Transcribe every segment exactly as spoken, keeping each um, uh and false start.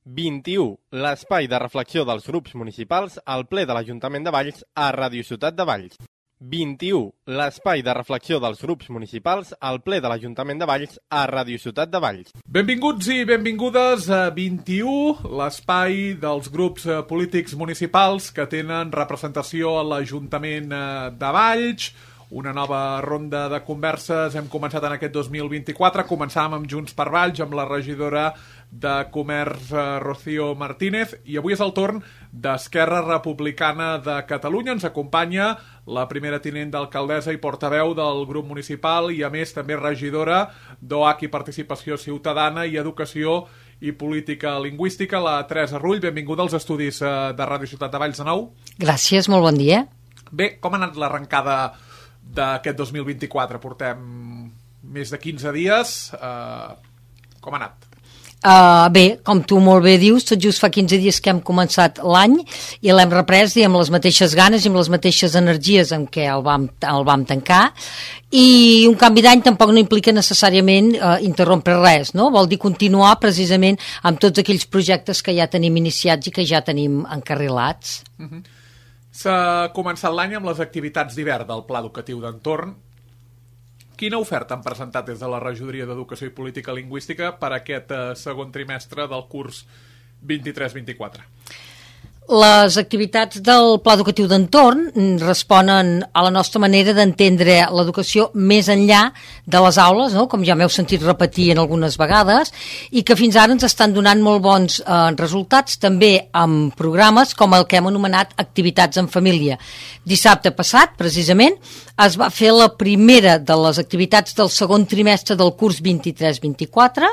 vint-i-u, l'espai de reflexió dels grups municipals al ple de l'Ajuntament de Valls a Ràdio Ciutat de Valls. vint-i-u, l'espai de reflexió dels grups municipals al ple de l'Ajuntament de Valls a Ràdio Ciutat de Valls. Benvinguts i benvingudes a vint-i-u, l'espai dels grups polítics municipals que tenen representació a l'Ajuntament de Valls. Una nova ronda de converses hem començat en aquest dos mil vint-i-quatre. Començàvem amb Junts per Valls, amb la regidora de Comerç, Rocío Martínez, i avui és el torn d'Esquerra Republicana de Catalunya. Ens acompanya la primera tinent d'alcaldessa i portaveu del grup municipal i, a més, també regidora d'O H i Participació Ciutadana i Educació i Política Lingüística, la Teresa Rull. Benvinguda als estudis de Ràdio Ciutat de Valls de nou. Gràcies, molt bon dia. Bé, com ha anat l'arrencada d'aquest dos mil vint-i-quatre? Portem més de quinze dies. Uh, com ha anat? Uh, bé, com tu molt bé dius, tot just fa quinze dies que hem començat l'any i l'hem reprès i amb les mateixes ganes i amb les mateixes energies amb què el vam, el vam tancar. I un canvi d'any tampoc no implica necessàriament uh, interrompre res, no? Vol dir continuar precisament amb tots aquells projectes que ja tenim iniciats i que ja tenim encarrilats. Uh-huh. S'ha començat l'any amb les activitats d'hivern del Pla Educatiu d'Entorn. Quina oferta han presentat des de la Regidoria d'Educació i Política Lingüística per a aquest eh, segon trimestre del curs vint-i-tres vint-i-quatre? Les activitats del Pla Educatiu d'Entorn responen a la nostra manera d'entendre l'educació més enllà de les aules, no? Com ja m'heu sentit repetir en algunes vegades, i que fins ara ens estan donant molt bons eh, resultats, també amb programes com el que hem anomenat activitats en família. Dissabte passat, precisament, es va fer la primera de les activitats del segon trimestre del curs vint-i-tres vint-i-quatre.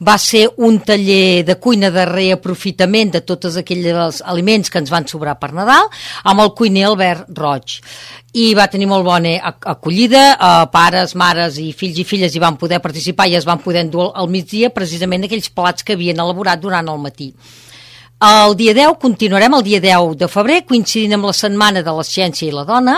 Va ser un taller de cuina de reaprofitament de tots aquells aliments que ens van sobrar per Nadal, amb el cuiner Albert Roig. I va tenir molt bona acollida, eh, pares, mares i fills i filles hi van poder participar i es van poder endur al migdia precisament aquells plats que havien elaborat durant el matí. El dia deu, continuarem el dia deu de febrer, coincidint amb la Setmana de la Ciència i la Dona.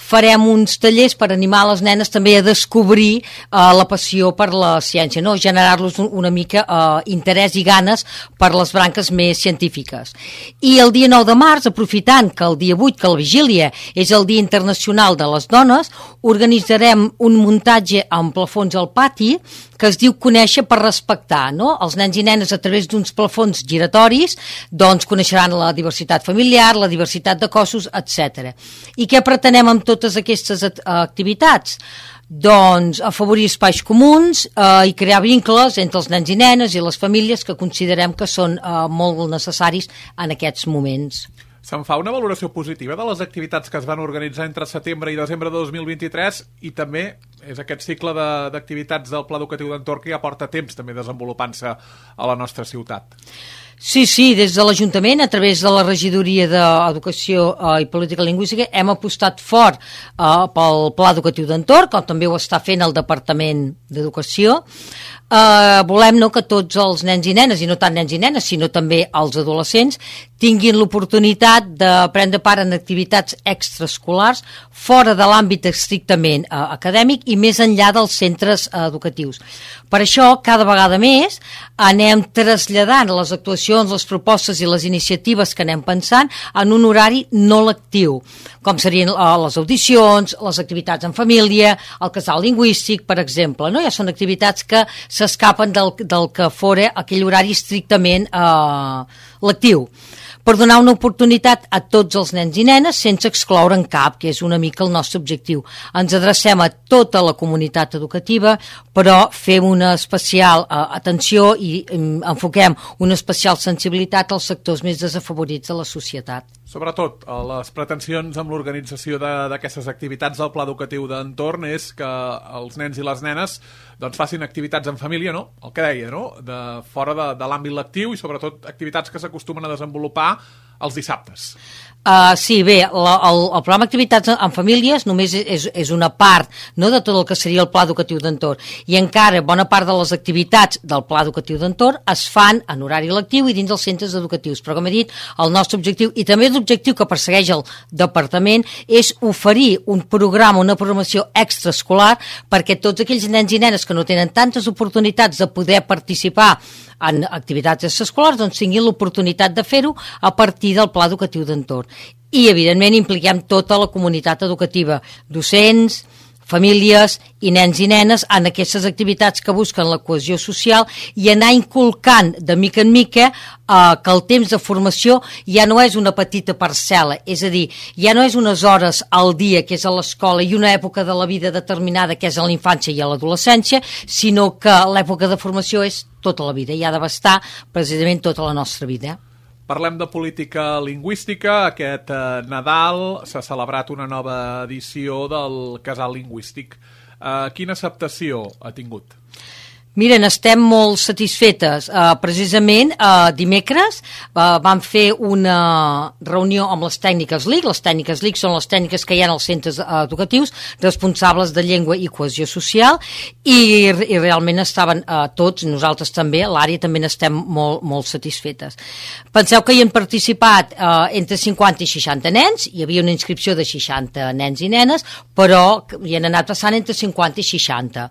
Farem uns tallers per animar les nenes també a descobrir eh, la passió per la ciència, no? Generar-los una mica eh, interès i ganes per les branques més científiques. I el dia nou de març, aprofitant que el dia vuit, que la vigília és el Dia Internacional de les Dones, organitzarem un muntatge amb plafons al pati que es diu Conèixer per respectar, no? Els nens i nenes, a través d'uns plafons giratoris, doncs coneixeran la diversitat familiar, la diversitat de cossos, etcètera. I què pretenem amb totes aquestes activitats? Doncs afavorir espais comuns eh, i crear vincles entre els nens i nenes i les famílies que considerem que són eh, molt necessaris en aquests moments. Se'n fa una valoració positiva de les activitats que es van organitzar entre setembre i desembre de dos mil vint-i-tres i també és aquest cicle d'activitats del Pla Educatiu d'Entorn que ja porta temps també desenvolupant-se a la nostra ciutat. Sí, sí, des de l'Ajuntament, a través de la Regidoria d'Educació eh, i Política Lingüística, hem apostat fort eh, pel Pla Educatiu d'Entorn, com també ho està fent el Departament d'Educació. Eh, volem, no, que tots els nens i nenes, i no tant nens i nenes, sinó també els adolescents, tinguin l'oportunitat de prendre part en activitats extraescolars fora de l'àmbit estrictament eh, acadèmic i més enllà dels centres eh, educatius. Per això, cada vegada més, anem traslladant les actuacions, les propostes i les iniciatives que anem pensant en un horari no lectiu, com serien eh, les audicions, les activitats en família, el casal lingüístic, per exemple, no? Ja són activitats que s'escapen del, del que fora aquell horari estrictament eh, lectiu, per donar una oportunitat a tots els nens i nenes sense excloure en cap, que és una mica el nostre objectiu. Ens adrecem a tota la comunitat educativa, però fem una especial uh, atenció i um, enfoquem una especial sensibilitat als sectors més desafavorits de la societat. Sobretot, les pretensions amb l'organització d'aquestes activitats del Pla Educatiu d'Entorn és que els nens i les nenes doncs, facin activitats en família, no? El que deia, no? De, fora de, de l'àmbit lectiu i sobretot activitats que s'acostumen a desenvolupar els dissabtes. Uh, sí, bé, la, el, el programa Activitats en Famílies només és, és una part, no, de tot el que seria el Pla Educatiu d'Entorn, i encara bona part de les activitats del Pla Educatiu d'Entorn es fan en horari lectiu i dins dels centres educatius, però com he dit, el nostre objectiu, i també l'objectiu que persegueix el Departament, és oferir un programa, una programació extraescolar perquè tots aquells nens i nenes que no tenen tantes oportunitats de poder participar en activitats extraescolars, doncs tinguin l'oportunitat de fer-ho a partir del Pla Educatiu d'Entorn. I, evidentment, impliquem tota la comunitat educativa, docents, famílies i nens i nenes en aquestes activitats que busquen la cohesió social i anar inculcant de mica en mica eh, que el temps de formació ja no és una petita parcel·la, és a dir, ja no és unes hores al dia que és a l'escola i una època de la vida determinada que és a la infància i a l'adolescència, sinó que l'època de formació és tota la vida i ha d'abastar precisament tota la nostra vida. Parlem de política lingüística. Aquest eh, Nadal s'ha celebrat una nova edició del Casal Lingüístic. Eh, quina acceptació ha tingut? Miren, estem molt satisfetes. Uh, precisament, uh, dimecres uh, vam fer una reunió amb les tècniques L I C. Les tècniques L I C són les tècniques que hi ha als centres uh, educatius responsables de llengua i cohesió social i, i realment estaven uh, tots, nosaltres també, l'àrea també n'estem molt, molt satisfetes. Penseu que hi han participat uh, entre cinquanta i seixanta nens, hi havia una inscripció de seixanta nens i nenes, però hi han anat passant entre cinquanta i seixanta.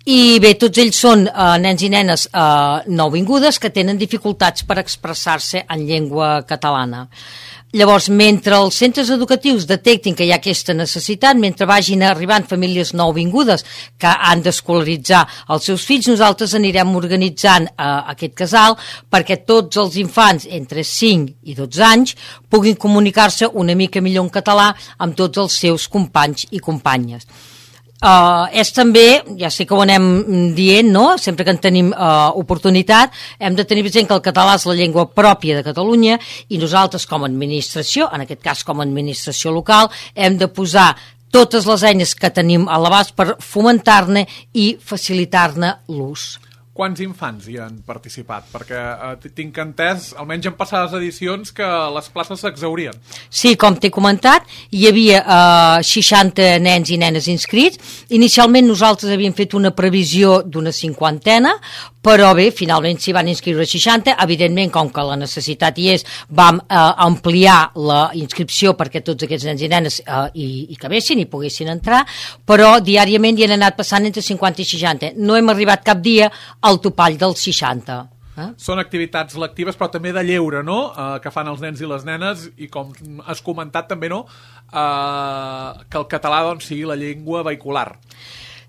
I bé, tots ells són eh, nens i nenes eh, nouvingudes que tenen dificultats per expressar-se en llengua catalana. Llavors, mentre els centres educatius detectin que hi ha aquesta necessitat, mentre vagin arribant famílies nouvingudes que han d'escolaritzar els seus fills, nosaltres anirem organitzant eh, aquest casal perquè tots els infants entre cinc i dotze anys puguin comunicar-se una mica millor en català amb tots els seus companys i companyes. Uh, és també, ja sé que ho anem dient, no? Sempre que en tenim uh, oportunitat, hem de tenir present que el català és la llengua pròpia de Catalunya i nosaltres com a administració, en aquest cas com a administració local, hem de posar totes les eines que tenim a l'abast per fomentar-ne i facilitar-ne l'ús. Quants infants hi han participat? Perquè eh, tinc entès, almenys en passades edicions, que les places s'exhaurien. Sí, com t'he comentat, hi havia eh, seixanta nens i nenes inscrits. Inicialment nosaltres havíem fet una previsió d'una cinquantena, però bé, finalment s'hi van inscriure seixanta. Evidentment, com que la necessitat hi és, vam eh, ampliar la inscripció perquè tots aquests nens i nenes eh, hi, hi cabessin, hi poguessin entrar, però diàriament hi han anat passant entre cinquanta i seixanta. No hem arribat cap dia al topall dels seixanta. Eh? Són activitats lectives, però també de lleure, no?, eh, que fan els nens i les nenes, i com has comentat també, no?, eh, que el català doncs, sigui la llengua vehicular.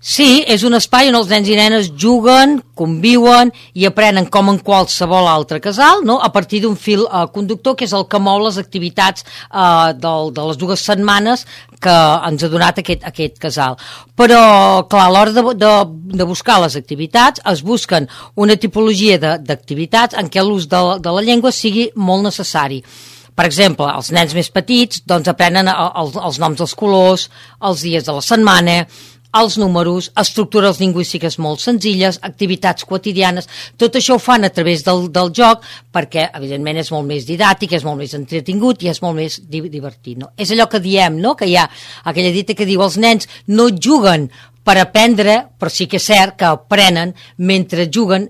Sí, és un espai on els nens i nenes juguen, conviuen i aprenen com en qualsevol altre casal, no?, a partir d'un fil eh, conductor que és el que mou les activitats eh, del, de les dues setmanes que ens ha donat aquest, aquest casal. Però, clar, a l'hora de, de, de buscar les activitats es busquen una tipologia d'activitats en què l'ús de, de la llengua sigui molt necessari. Per exemple, els nens més petits doncs, aprenen els, els noms dels colors, els dies de la setmana, els números, estructures lingüístiques molt senzilles, activitats quotidianes, tot això ho fan a través del, del joc perquè, evidentment, és molt més didàctic, és molt més entretingut i és molt més divertit. No? És allò que diem, no?, que hi ha aquella dita que diu els nens no juguen per aprendre, però sí que és cert que aprenen mentre juguen,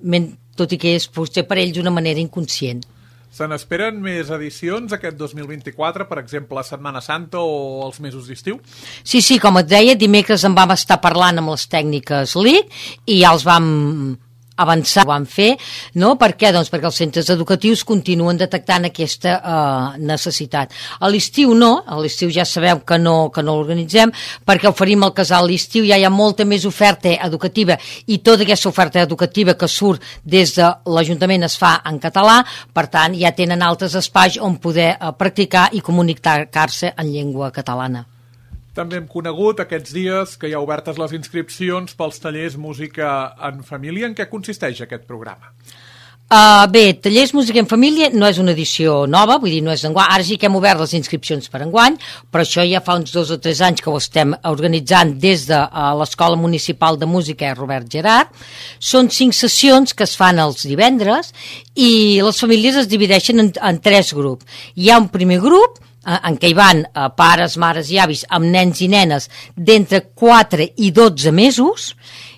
tot i que és potser per ells d'una manera inconscient. Se n'esperen més edicions aquest dos mil vint-i-quatre, per exemple, la Setmana Santa o els mesos d'estiu? Sí, sí, com et deia, dimecres en vam estar parlant amb les tècniques L I C i ja els vam avançar, ho vam fer, no? Per què? Doncs perquè els centres educatius continuen detectant aquesta eh, necessitat. A l'estiu no, a l'estiu ja sabeu que no, que no l'organitzem, perquè oferim el casal a l'estiu, ja hi ha molta més oferta educativa i tota aquesta oferta educativa que surt des de l'Ajuntament es fa en català, per tant ja tenen altres espais on poder eh, practicar i comunicar-se en llengua catalana. També hem conegut aquests dies que hi ha obertes les inscripcions pels tallers Música en Família. En què consisteix aquest programa? Uh, bé, Tallers Música en Família no és una edició nova, vull dir, no és d'enguany. Ara sí que hem obert les inscripcions per enguany, però això ja fa uns dos o tres anys que ho estem organitzant des de uh, l'Escola Municipal de Música Robert Gerard. Són cinc sessions que es fan els divendres i les famílies es divideixen en, en tres grups. Hi ha un primer grup en què hi van eh, pares, mares i avis amb nens i nenes d'entre quatre i dotze mesos.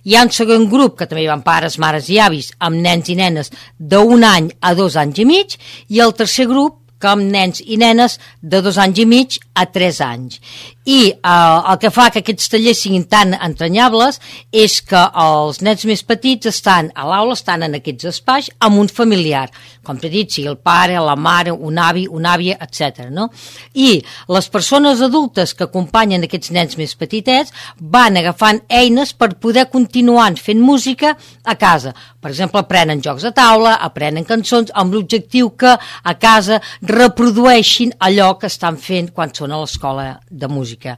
Hi ha un segon grup que també hi van pares, mares i avis amb nens i nenes d'un any a dos anys i mig, i el tercer grup que amb nens i nenes de dos anys i mig a tres anys. I eh, el que fa que aquests tallers siguin tan entranyables és que els nens més petits estan a l'aula, estan en aquests espais amb un familiar, com t'he dit, sigui el pare, la mare, un avi, una àvia, etcètera. No? I les persones adultes que acompanyen aquests nens més petitets van agafant eines per poder continuar fent música a casa. Per exemple, aprenen jocs de taula, aprenen cançons, amb l'objectiu que a casa reprodueixin allò que estan fent quan són a l'escola de música.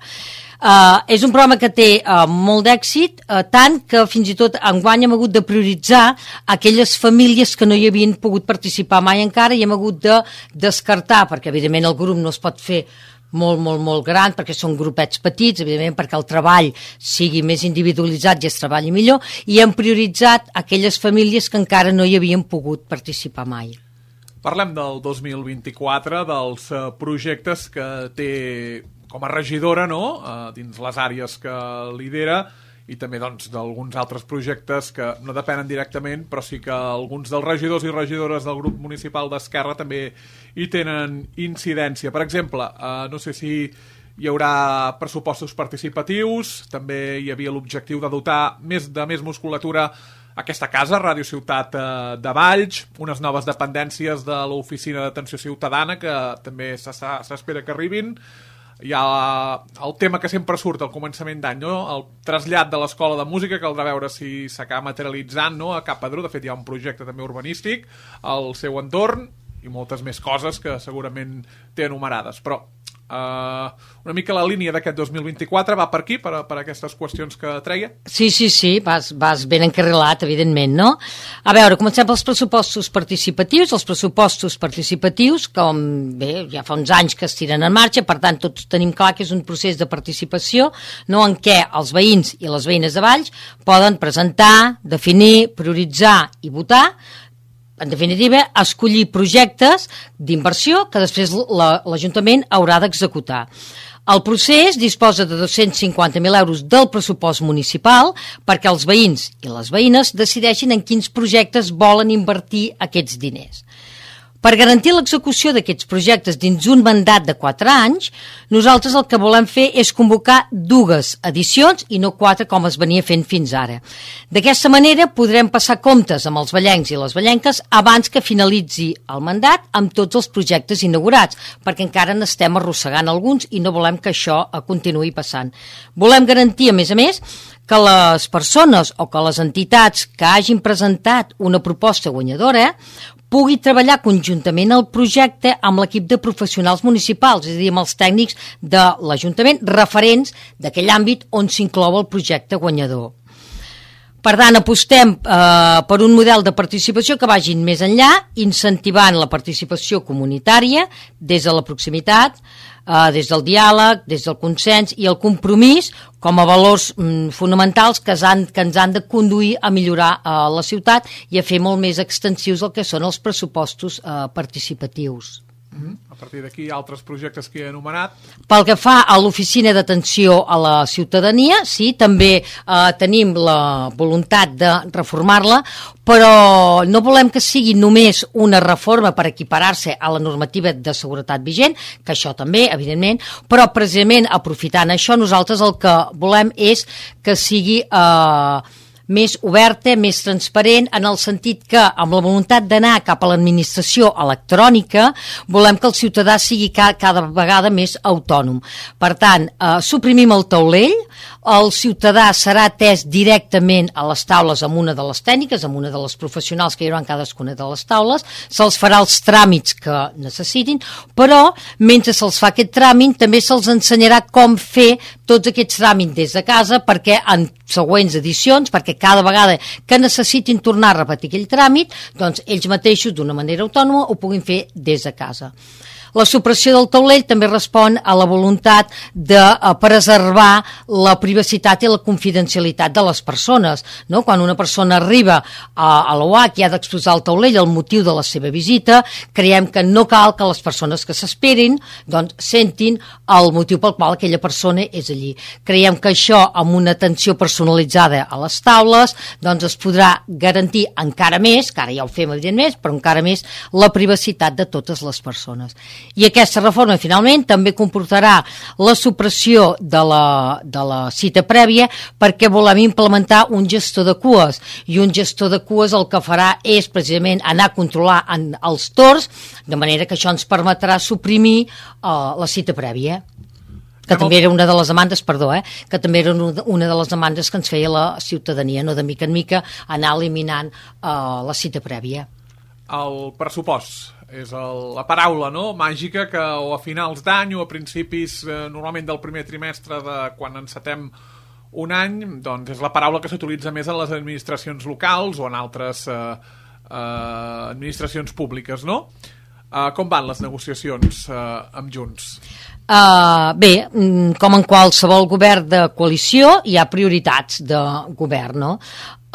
Uh, és un programa que té uh, molt d'èxit, uh, tant que fins i tot enguany hem hagut de prioritzar aquelles famílies que no hi havien pogut participar mai encara i hem hagut de descartar, perquè evidentment el grup no es pot fer molt, molt, molt gran, perquè són grupets petits, evidentment perquè el treball sigui més individualitzat i es treballi millor, i hem prioritzat aquelles famílies que encara no hi havien pogut participar mai. Parlem del dos mil vint-i-quatre, dels uh, projectes que té com a regidora, no?, uh, dins les àrees que lidera, i també doncs, d'alguns altres projectes que no depenen directament, però sí que alguns dels regidors i regidores del grup municipal d'Esquerra també hi tenen incidència. Per exemple, eh, no sé si hi haurà pressupostos participatius, també hi havia l'objectiu de dotar més de més musculatura a aquesta casa, Ràdio Ciutat eh, de Valls, unes noves dependències de l'Oficina d'Atenció Ciutadana, que també s'espera que arribin. Hi ha el tema que sempre surt al començament d'any, no? El trasllat de l'escola de música, caldrà veure si s'acaba materialitzant, no?, a Cap Pedró. De fet, hi ha un projecte també urbanístic al seu entorn i moltes més coses que segurament té enumerades. Però uh, una mica la línia d'aquest dos mil vint-i-quatre va per aquí, per, per aquestes qüestions que treia? Sí, sí, sí, vas, vas ben encarrilat, evidentment, no? A veure, comencem pels pressupostos participatius. Els pressupostos participatius, com bé, ja fa uns anys que es tiren en marxa, per tant, tots tenim clar que és un procés de participació, no?, en què els veïns i les veïnes de Valls poden presentar, definir, prioritzar i votar, en definitiva, escollir projectes d'inversió que després l'Ajuntament haurà d'executar. El procés disposa de dos-cents cinquanta mil euros del pressupost municipal perquè els veïns i les veïnes decideixin en quins projectes volen invertir aquests diners. Per garantir l'execució d'aquests projectes dins un mandat de quatre anys, nosaltres el que volem fer és convocar dues edicions i no quatre com es venia fent fins ara. D'aquesta manera podrem passar comptes amb els vallencs i les vallenques abans que finalitzi el mandat amb tots els projectes inaugurats, perquè encara n'estem arrossegant alguns i no volem que això continuï passant. Volem garantir, a més a més, que les persones o que les entitats que hagin presentat una proposta guanyadora pugui treballar conjuntament al projecte amb l'equip de professionals municipals, és a dir, amb els tècnics de l'Ajuntament referents d'aquell àmbit on s'inclou el projecte guanyador. Per tant, apostem eh, per un model de participació que vagin més enllà, incentivant la participació comunitària des de la proximitat, eh, des del diàleg, des del consens i el compromís com a valors mm, fonamentals que, han, que ens han de conduir a millorar eh, la ciutat i a fer molt més extensius el que són els pressupostos eh, participatius. Mm-hmm. A partir d'aquí, altres projectes que he enumerat. Pel que fa a l'Oficina d'Atenció a la Ciutadania, sí, també eh, tenim la voluntat de reformar-la, però no volem que sigui només una reforma per equiparar-se a la normativa de seguretat vigent, que això també, evidentment, però precisament aprofitant això, nosaltres el que volem és que sigui Eh, més oberta, més transparent, en el sentit que, amb la voluntat d'anar cap a l'administració electrònica, volem que el ciutadà sigui cada, cada vegada més autònom. Per tant, eh, suprimim el taulell, el ciutadà serà atès directament a les taules amb una de les tècniques, amb una de les professionals que hi haurà en cadascuna de les taules, se'ls farà els tràmits que necessitin, però mentre se'ls fa aquest tràmit també se'ls ensenyarà com fer tots aquests tràmits des de casa, perquè en següents edicions, perquè cada vegada que necessitin tornar a repetir aquell tràmit, doncs ells mateixos d'una manera autònoma ho puguin fer des de casa. La supressió del taulell també respon a la voluntat de preservar la privacitat i la confidencialitat de les persones, no? Quan una persona arriba a, a l'O H i ha d'exposar el taulell el motiu de la seva visita, creiem que no cal que les persones que s'esperin doncs, sentin el motiu pel qual aquella persona és allí. Creiem que això, amb una atenció personalitzada a les taules, doncs es podrà garantir encara més, que ara ja ho fem evidentment, però encara més la privacitat de totes les persones. I aquesta reforma, finalment, també comportarà la supressió de la, de la cita prèvia perquè volem implementar un gestor de cues. I un gestor de cues el que farà és precisament anar a controlar en els torns, de manera que això ens permetrà suprimir uh, la cita prèvia. Que també era una de les demandes, perdó, eh, que també era una de les demandes que ens feia la ciutadania, no de mica en mica anar eliminant uh, la cita prèvia. El pressupost és el, la paraula, no?, màgica que o a finals d'any o a principis eh, normalment del primer trimestre de quan encetem un any, doncs és la paraula que s'utilitza més en les administracions locals o en altres eh, eh, administracions públiques, no? Eh, com van les negociacions eh, amb Junts? Uh, bé, com en qualsevol govern de coalició hi ha prioritats de govern, no?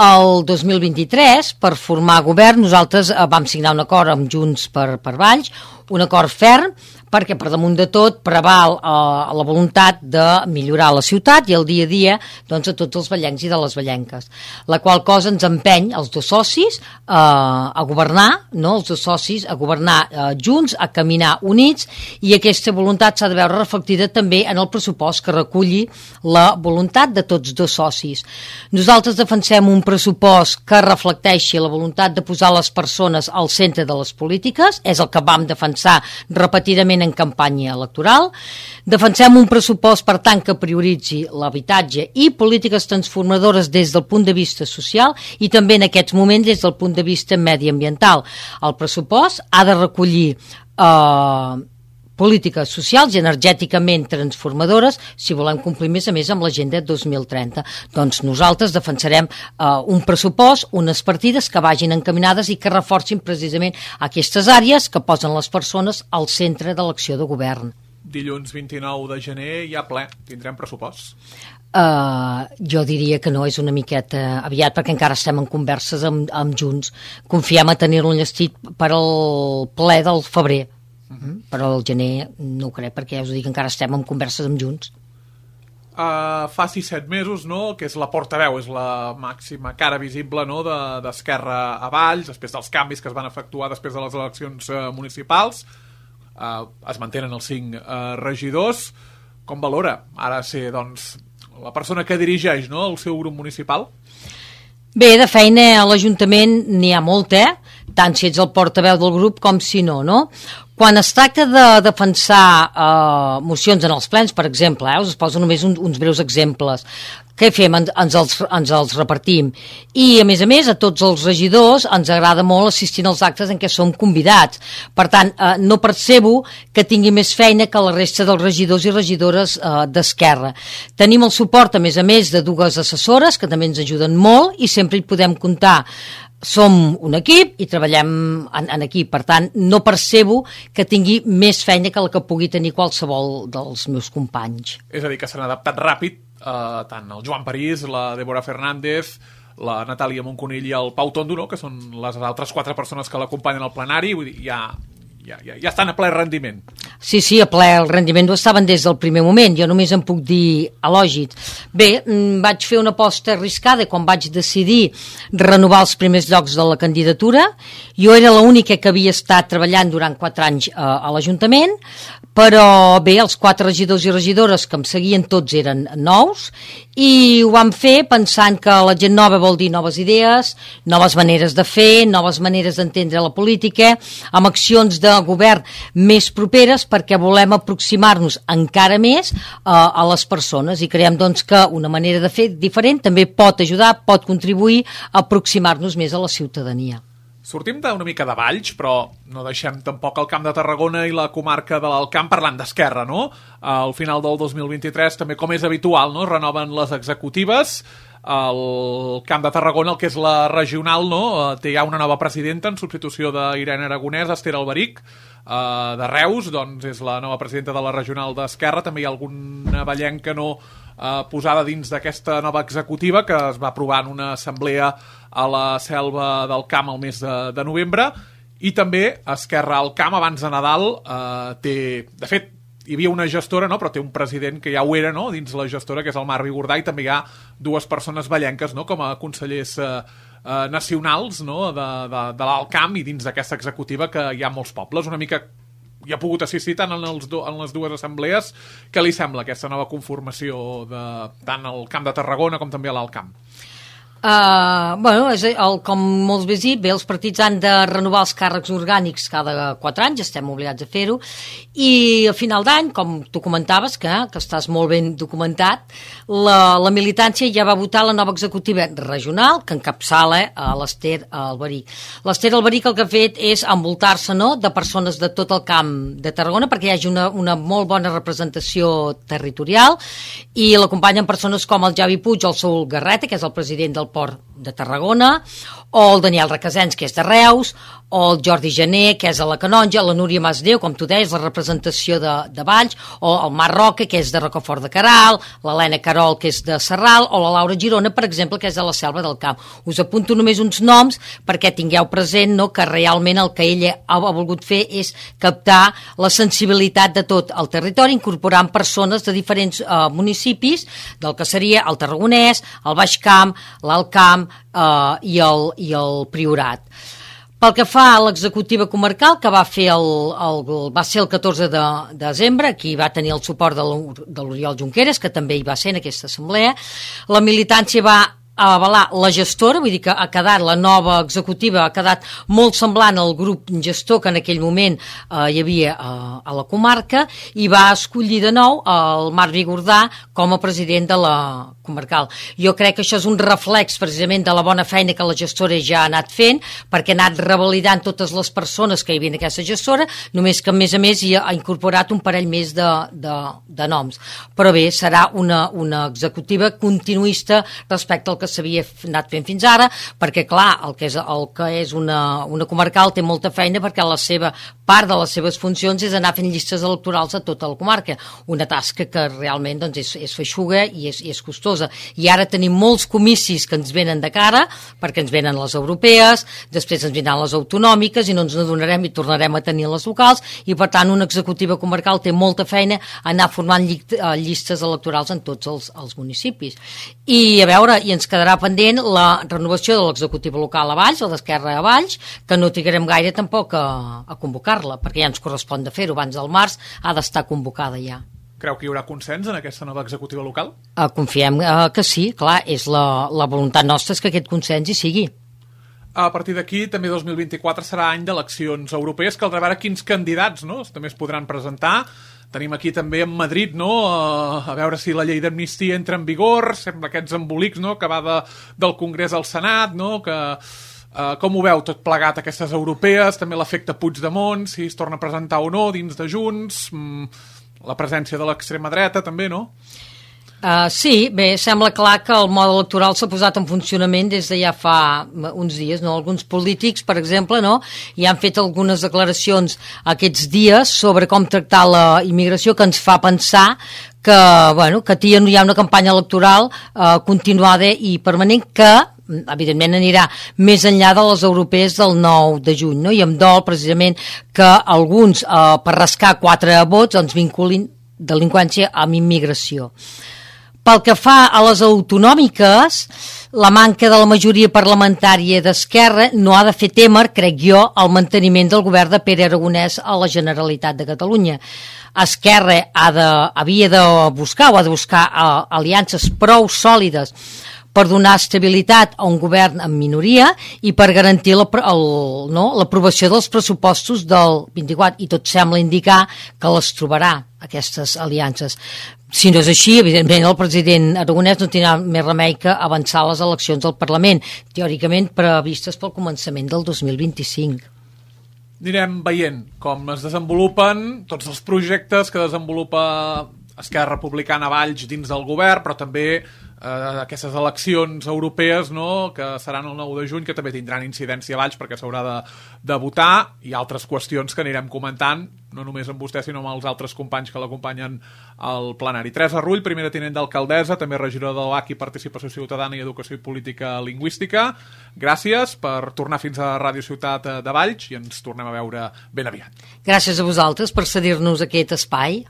El dos mil vint-i-tres, per formar govern, nosaltres vam signar un acord amb Junts per, per Valls, un acord ferm, perquè per damunt de tot preval eh, la voluntat de millorar la ciutat i el dia a dia doncs, a tots els vallencs i de les vallenques. La qual cosa ens empeny els dos socis eh, a governar, no? els dos socis a governar eh, junts, a caminar units, i aquesta voluntat s'ha de veure reflectida també en el pressupost que reculli la voluntat de tots dos socis. Nosaltres defensem un pressupost que reflecteixi la voluntat de posar les persones al centre de les polítiques, és el que vam defensar repetidament en campanya electoral. Defensem un pressupost, per tant, que prioritzi l'habitatge i polítiques transformadores des del punt de vista social i també en aquests moments des del punt de vista mediambiental. El pressupost ha de recollir eh, polítiques socials i energèticament transformadores si volem complir més a més amb l'agenda dos mil trenta. Doncs nosaltres defensarem eh, un pressupost, unes partides que vagin encaminades i que reforcin precisament aquestes àrees que posen les persones al centre de l'acció de govern. Dilluns vint-i-nou de gener hi ha ple, tindrem pressupost? Uh, jo diria que no, és una miqueta aviat perquè encara estem en converses amb, amb Junts. Confiem a tenir-lo enllestit per al ple del febrer. Uh-huh. Però el gener no ho crec, perquè ja us dic que encara estem en converses amb Junts. Uh, fa sis set mesos, no?, que és la portaveu, és la màxima cara visible, no?, de, d'Esquerra a Valls, després dels canvis que es van efectuar després de les eleccions uh, municipals. Uh, es mantenen els cinc uh, regidors. Com valora ara ser, doncs, la persona que dirigeix, no?, el seu grup municipal? Bé, de feina a l'Ajuntament n'hi ha molta, eh? Tant si ets el portaveu del grup com si no, no? Quan es tracta de defensar eh, mocions en els plens, per exemple, eh, us poso només un, uns breus exemples. Què fem? En, ens, els, ens els repartim. I, a més a més, a tots els regidors ens agrada molt assistir als actes en què som convidats. Per tant, eh, no percebo que tingui més feina que la resta dels regidors i regidores eh, d'Esquerra. Tenim el suport, a més a més, de dues assessores, que també ens ajuden molt, i sempre hi podem comptar. Som un equip i treballem en, en equip, per tant no percebo que tingui més feina que la que pugui tenir qualsevol dels meus companys. És a dir, que s'han adaptat ràpid eh, tant el Joan París, la Débora Fernández, la Natàlia Monconill i el Pau Tondo, no?, que són les altres quatre persones que l'acompanyen al plenari, vull dir, ja, ja, ja, ja estan a ple rendiment. Sí, sí, a ple el rendiment ho estaven des del primer moment, jo només em puc dir elogis. Bé, vaig fer una aposta arriscada quan vaig decidir renovar els primers llocs de la candidatura. Jo era l'única que havia estat treballant durant quatre anys eh, a l'Ajuntament, però bé, els quatre regidors i regidores que em seguien tots eren nous i ho vam fer pensant que la gent nova vol dir noves idees, noves maneres de fer, noves maneres d'entendre la política, amb accions de govern més properes perquè volem aproximar-nos encara més eh, a les persones i creiem doncs, que una manera de fer diferent també pot ajudar, pot contribuir a aproximar-nos més a la ciutadania. Sortim d'una mica de Valls, però no deixem tampoc el Camp de Tarragona i la comarca de l'Alt Camp parlant d'Esquerra, no? Al final del dos mil vint-i-tres, també com és habitual, no?, renoven les executives. El Camp de Tarragona, el que és la regional, no?, té ja una nova presidenta en substitució d'Irene Aragonès, Esther Alberic, Uh, de Reus, doncs és la nova presidenta de la regional d'Esquerra. També hi ha alguna vallenca no uh, posada dins d'aquesta nova executiva que es va aprovar en una assemblea a la Selva del Camp el mes de, de novembre. I també Esquerra al Camp abans de Nadal uh, té, de fet hi havia una gestora, no?, però té un president que ja ho era, no?, dins la gestora, que és el Marvi Gordà, i també hi ha dues persones vallenques, no?, com a consellers uh, Uh, nacionals, no?, de, de, de l'Alt Camp i dins d'aquesta executiva que hi ha molts pobles. Una mica hi ha pogut assistir tant en, els do, en les dues assemblees. Què li sembla aquesta nova conformació de tant al Camp de Tarragona com també a l'Alt Camp? Uh, bueno, és el, com molts bé dit, bé, els partits han de renovar els càrrecs orgànics cada quatre anys, estem obligats a fer-ho, i a final d'any, com tu comentaves, que, que estàs molt ben documentat, la, la militància ja va votar la nova executiva regional, que encapçala a l'Ester Alberic. L'Ester Alberic el que ha fet és envoltar-se, no?, de persones de tot el camp de Tarragona perquè hi hagi una, una molt bona representació territorial, i l'acompanyen persones com el Javi Puig o el Saúl Garreta, que és el president del Port de Tarragona, o el Daniel Requesens, que és de Reus, o el Jordi Gené, que és a la Canonja, la Núria Masdeu, com tu deies, la representació de, de Valls, o el Marc Roca, que és de Rocafort de Queralt, l'Helena Carol, que és de Sarral, o la Laura Girona, per exemple, que és de la Selva del Camp. Us apunto només uns noms perquè tingueu present, no?, que realment el que ella ha volgut fer és captar la sensibilitat de tot el territori, incorporant persones de diferents eh, municipis, del que seria el Tarragonès, el Baix Camp, l'Alt Camp eh, i, el, i el Priorat. Pel que fa a l'executiva comarcal, que va fer el, el, va ser el catorze de desembre, aquí va tenir el suport de l'Oriol Junqueras, que també hi va ser en aquesta assemblea, la militància va a avalar la gestora, vull dir que ha quedat la nova executiva, ha quedat molt semblant al grup gestor que en aquell moment eh, hi havia eh, a la comarca, i va escollir de nou el Marc Vigordà com a president de la comarcal. Jo crec que això és un reflex precisament de la bona feina que la gestora ja ha anat fent, perquè ha anat revalidant totes les persones que hi havia en aquesta gestora, només que a més a més hi ha incorporat un parell més de, de, de noms. Però bé, serà una, una executiva continuista respecte al que s'havia anat fent fins ara, perquè clar, el que és, el que és una, una comarcal té molta feina, perquè la seva part de les seves funcions és anar fent llistes electorals a tota la comarca, una tasca que realment doncs, és, és feixuga i és, i és costosa. I ara tenim molts comicis que ens venen de cara, perquè ens venen les europees, després ens vindran les autonòmiques i no ens n'adonarem i tornarem a tenir les locals, i per tant una executiva comarcal té molta feina a anar formant llistes electorals en tots els, els municipis. I a veure, i ens quedarà pendent la renovació de l'executiva local a Valls, o d'Esquerra a Valls, que no trigarem gaire tampoc a, a convocar-la, perquè ja ens correspon de fer-ho abans del març, ha d'estar convocada ja. Creu que hi haurà consens en aquesta nova executiva local? Uh, confiem uh, que sí, clar, és la, la voluntat nostra és que aquest consens hi sigui. A partir d'aquí, també dos mil vint-i-quatre serà any d'eleccions europees, caldrà veure quins candidats, no?, també es podran presentar. Tenim aquí també en Madrid, no?, a veure si la llei d'amnistia entra en vigor, sembla aquests embolics, no?, que va de, del Congrés al Senat, no?, que... Uh, com ho veu tot plegat, aquestes europees, també l'efecte Puigdemont, si es torna a presentar o no dins de Junts, mm, la presència de l'extrema dreta també, no? Uh, sí, bé, sembla clar que el mode electoral s'ha posat en funcionament des de ja fa uns dies, no? Alguns polítics, per exemple, no?, ja han fet algunes declaracions aquests dies sobre com tractar la immigració, que ens fa pensar que, bueno, que hi ha una campanya electoral uh, continuada i permanent que evidentment anirà més enllà de les europees del nou de juny, no? I em dol precisament que alguns eh, per rascar quatre vots ens vinculin delinqüència amb immigració. Pel que fa a les autonòmiques, la manca de la majoria parlamentària d'Esquerra no ha de fer témer, crec jo, el manteniment del govern de Pere Aragonès a la Generalitat de Catalunya. Esquerra ha de, havia de buscar o ha de buscar uh, aliances prou sòlides per donar estabilitat a un govern en minoria i per garantir la, el, no, l'aprovació dels pressupostos del vint-i-quatre, i tot sembla indicar que les trobarà, aquestes aliances. Si no és així, evidentment el president Aragonès no tindrà més remei que avançar les eleccions al Parlament, teòricament previstes pel començament del dos mil vint-i-cinc. Anirem veient com es desenvolupen tots els projectes que desenvolupa Esquerra Republicana Valls dins del govern, però també eh, aquestes eleccions europees, no?, que seran el nou de juny, que també tindran incidència a Valls perquè s'haurà de, de votar, i altres qüestions que anirem comentant, no només amb vostè, sinó amb els altres companys que l'acompanyen al plenari. Teresa Rull, primera tinent d'alcaldessa, també regidora de l'O H i Participació Ciutadana i Educació i Política Lingüística. Gràcies per tornar fins a Ràdio Ciutat de Valls i ens tornem a veure ben aviat. Gràcies a vosaltres per cedir-nos aquest espai.